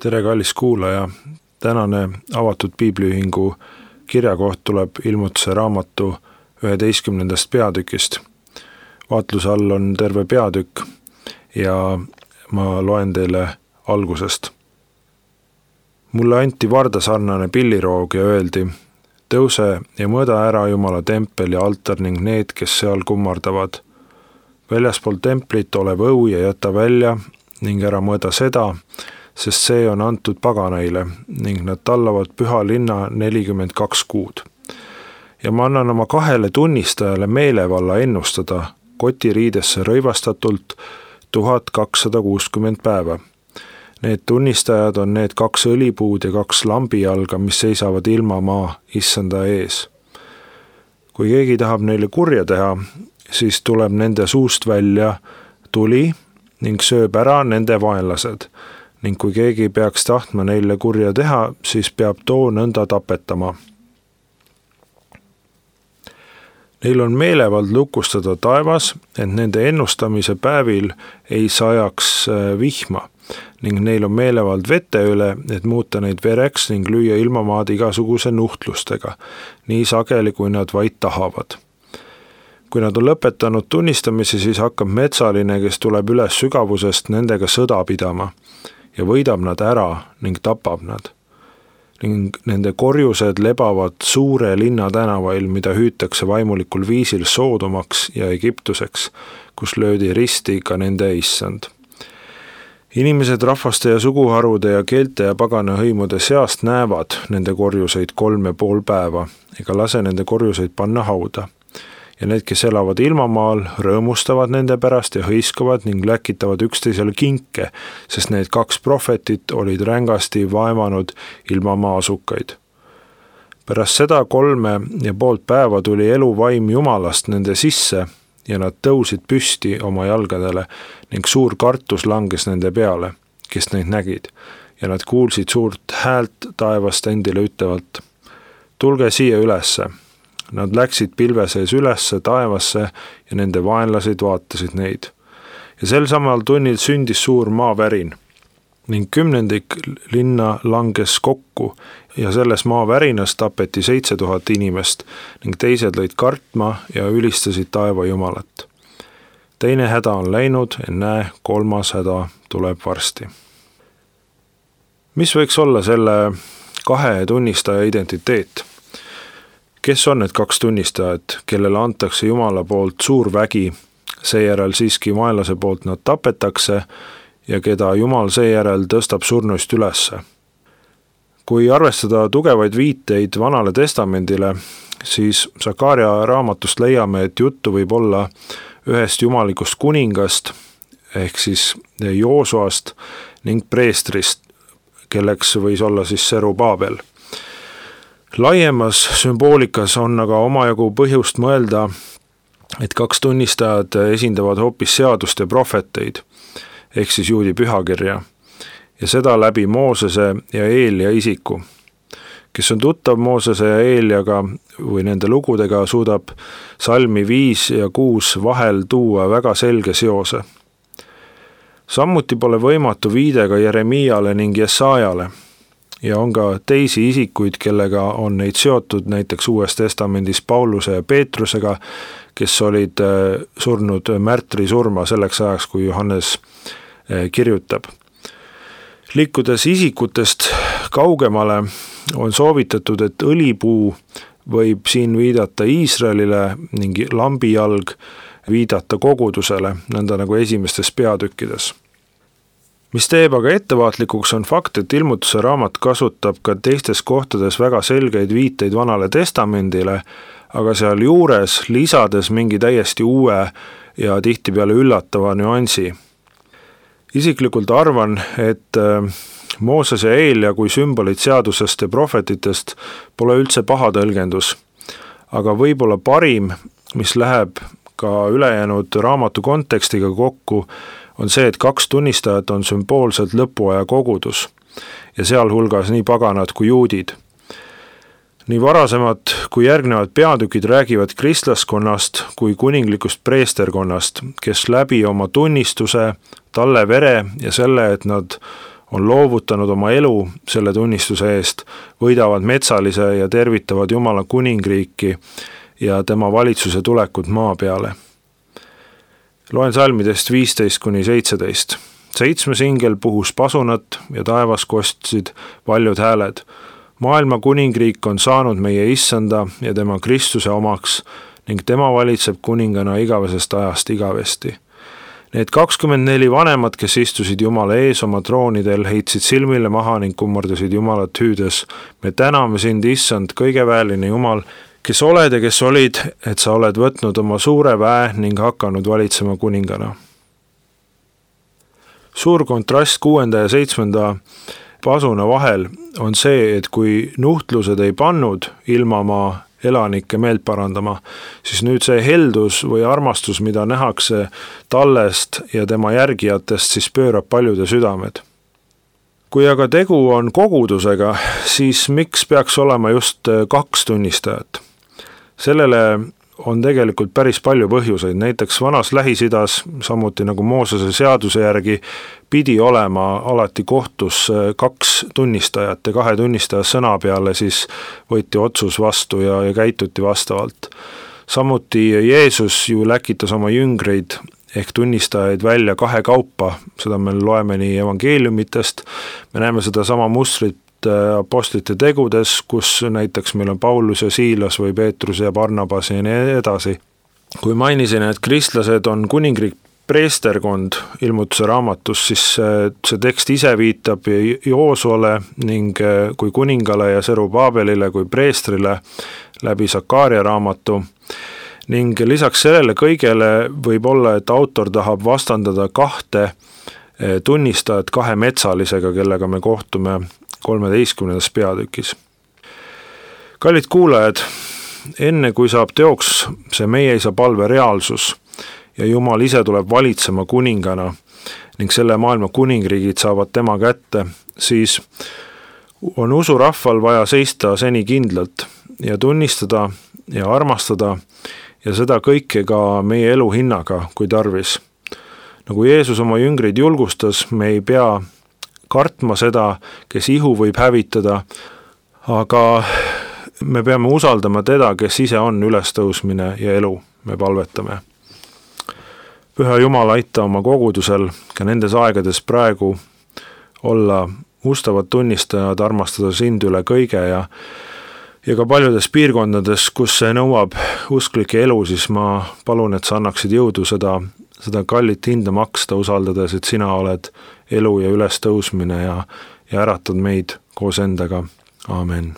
Tere, kallis kuulaja! Tänane avatud piibliühingu kirjakoht tuleb Ilmutuse raamatu 11. peatükist. Vaatluse all on terve peatükk ja ma loen teile algusest. Mulle anti vardasarnane pilliroog ja öeldi: tõuse ja mõõda ära Jumala tempel ja altar ning need, kes seal kummardavad. Väljaspool templit olev õu ja jäta välja ning ära mõõda seda, sest see on antud paganaile ning nad tallavad püha linna 42 kuud. Ja ma annan oma 2 tunnistajale meelevalla ennustada kotiriidesse rõivastatult 1260 päeva. Need tunnistajad on need 2 õlipuud ja 2 lambijalga, mis seisavad ilmamaa issanda ees. Kui keegi tahab neile kurja teha, siis tuleb nende suust välja tuli ning sööb ära nende vaenlased. Ning kui keegi peaks tahtma neile kurja teha, siis peab too nõnda tapetama. Neil on meelevald lukustada taevas, et nende ennustamise päevil ei sajaks vihma, ning neil on meelevald vete üle, et muuta neid vereks ning lüüa ilmamaad igasuguse nuhtlustega, nii sageli kui nad vaid tahavad. Kui nad on lõpetanud tunnistamise, siis hakkab metsaline, kes tuleb üles sügavusest, nendega sõda pidama ja võidab nad ära ning tapab nad. Ning nende korjused lebavad suure linna tänavail, mida hüütakse vaimulikul viisil Soodomaks ja Egiptuseks, kus löödi risti ka nende issand. Inimesed rahvaste ja suguharude ja keelte ja pagana hõimude seast näevad nende korjuseid 3,5 päeva ega lase nende korjuseid panna hauda. Ja need, kes elavad ilmamaal, rõõmustavad nende pärast ja hõiskavad ning läkitavad üksteisele kinke, sest need 2 prohvetit olid rängasti vaevanud ilmamaa asukaid. Pärast seda 3,5 päeva tuli eluvaim Jumalast nende sisse ja nad tõusid püsti oma jalgadele ning suur kartus langes nende peale, kes neid nägid, ja nad kuulsid suurt häält taevast endile ütlevalt: tulge siia ülesse. Nad läksid pilve sees ülesse taevasse ja nende vaenlased vaatasid neid. Ja sel samal tunnil sündis suur maavärin ning 10 linna langes kokku ja selles maavärinas tapeti 7000 inimest ning teised lõid kartma ja ülistasid taeva Jumalat. Teine häda on läinud, näe, 3. häda tuleb varsti. Mis võiks olla selle 2 tunnistaja identiteet? Kes on need 2 tunnistajad, kellele antakse Jumala poolt suur vägi, seejärel siiski vaenlase poolt nad tapetakse ja keda Jumal seejärel tõstab surnuist ülesse? Kui arvestada tugevaid viiteid Vanale Testamendile, siis Sakaria raamatust leiame, et juttu võib olla ühest jumalikust kuningast, ehk siis Joosuast ning preestrist, kelleks võis olla siis Serubaabel. Laiemas sümboolikas on aga omajagu põhjust mõelda, et 2 tunnistajad esindavad hoopis seadust ja prohveteid, ehk siis juudi pühakirja, ja seda läbi Moosese ja Eelia isiku. Kes on tuttav Moosese ja Eeliaga või nende lugudega, suudab salmi 5 ja 6 vahel tuua väga selge seose. Samuti pole võimatu viide ka Jeremiale ning Jesaajale, ja on ka teisi isikuid, kellega on neid seotud näiteks Uues Testamendis Pauluse ja Peetrusega, kes olid surnud märtri surma selleks ajaks, kui Johannes kirjutab. Liikudes isikutest kaugemale on soovitatud, et õlipuu võib siin viidata Iisraelile ning lambijalg viidata kogudusele, nõnda nagu esimestes peatükkides. Mis teeb aga ettevaatlikuks on fakt, et Ilmutuse raamat kasutab ka teistes kohtades väga selgeid viiteid Vanale Testamendile, aga seal juures lisades mingi täiesti uue ja tihtipeale üllatava nüansi. Isiklikult arvan, et Mooses ja Eelia kui sümbolid seadusest ja prohvetitest pole üldse paha tõlgendus, aga võib-olla parim, mis läheb ka ülejäänud raamatu kontekstiga kokku, on see, et 2 tunnistajat on sümboolselt lõpuaja kogudus ja sealhulgas nii paganad kui juudid. Nii varasemad kui järgnevad peatükid räägivad kristlaskonnast kui kuninglikust preesterkonnast, kes läbi oma tunnistuse, talle vere ja selle, et nad on loovutanud oma elu selle tunnistuse eest, võidavad metsalise ja tervitavad Jumala kuningriiki ja tema valitsuse tulekut maa peale. Loen salmidest 15-17. 7. ingel puhus pasunat ja taevas kostsid paljud hääled. Maailma kuningriik on saanud meie issanda ja tema Kristuse omaks ning tema valitseb kuningana igavesest ajast igavesti. Need 24 vanemat, kes istusid Jumala ees oma troonidel, heitsid silmile maha ning kummardasid Jumalat hüüdes. Me täname sind, issand, kõigeväeline Jumal, kes oled ja kes olid, et sa oled võtnud oma suure väe ning hakanud valitsema kuningana. Suur kontrast 6. ja 7. pasuna vahel on see, et kui nuhtlused ei pannud ilmamaa elanikke meelt parandama, siis nüüd see heldus või armastus, mida nähakse tallest ja tema järgijatest, siis pöörab paljude südamed. Kui aga tegu on kogudusega, siis miks peaks olema just 2 tunnistajat? Sellele on tegelikult päris palju põhjuseid, näiteks vanas Lähis-Idas, samuti nagu Moosese seaduse järgi, pidi olema alati kohtus 2 tunnistajat ja 2 tunnistaja sõna peale siis võeti otsus vastu ja käituti vastavalt. Samuti Jeesus ju läkitas oma jüngreid ehk tunnistajaid välja 2 kaupa, seda me loeme nii evangeeliumitest, me näeme seda sama mustrit apostlite tegudes, kus näiteks meil on Paulus ja Siilas või Peetrus ja Barnabas ja nii edasi. Kui mainisin, et kristlased on kuningriik preesterkond ilmutuse raamatus, siis see tekst ise viitab Joosuale ning kui kuningale ja Serubaabelile kui preestrile läbi Sakaaria raamatu. Ning lisaks sellele kõigele võib olla, et autor tahab vastandada 2 tunnistajat 2 metsalisega, kellega me kohtume 13. peatükis. Kallid kuulajad, enne kui saab teoks see meie isa palve reaalsus ja Jumal ise tuleb valitsema kuningana ning selle maailma kuningriigid saavad tema kätte, siis on usurahval vaja seista seni kindlalt ja tunnistada ja armastada ja seda kõike ka meie elu hinnaga, kui tarvis. Nagu Jeesus oma jüngreid julgustas, me ei pea kartma seda, kes ihu võib hävitada, aga me peame usaldama teda, kes ise on ülestõusmine ja elu, me palvetame. Püha Jumal, aita oma kogudusel ka nendes aegades praegu olla ustavad tunnistajad, armastada sind üle kõige ja ka paljudes piirkondades, kus see nõuab usklike elu, siis ma palun, et sa annaksid jõudu seda kallit hinda maksta, usaldades, et sina oled elu ja ülestõusmine ja äratad meid koos endaga. Aamen.